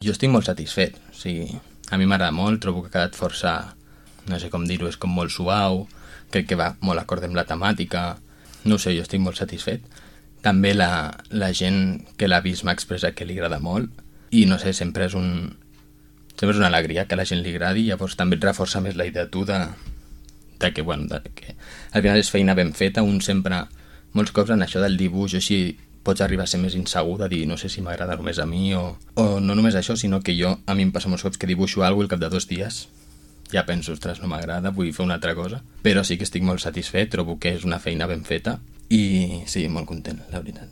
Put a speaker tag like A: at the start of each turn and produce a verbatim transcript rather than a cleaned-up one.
A: Jo estic molt satisfet, o sigui, a mi m'agrada molt, trobo que ha quedat força, no sé com dir-ho, és com molt suau, crec que va molt acord amb la temàtica, no ho sé, jo estic molt satisfet. També la, la gent que l'ha vist m'ha expressat que li agrada molt i no sé, sempre és un sempre és una alegria que a la gent li agradi, llavors també et reforça més la idea tu de, de que, bueno, de que al final és feina ben feta, un sempre, molts cops en això del dibuix així pots arribar a ser més insegur de dir no sé si m'agrada només a mi o, o no només això, sinó que jo, a mi em passa molts cops que dibuixo alguna cosa i al cap de dos dies ja penso, ostres, no m'agrada, vull fer una altra cosa, però sí que estic molt satisfet, trobo que és una feina ben feta i sí, molt content, la veritat.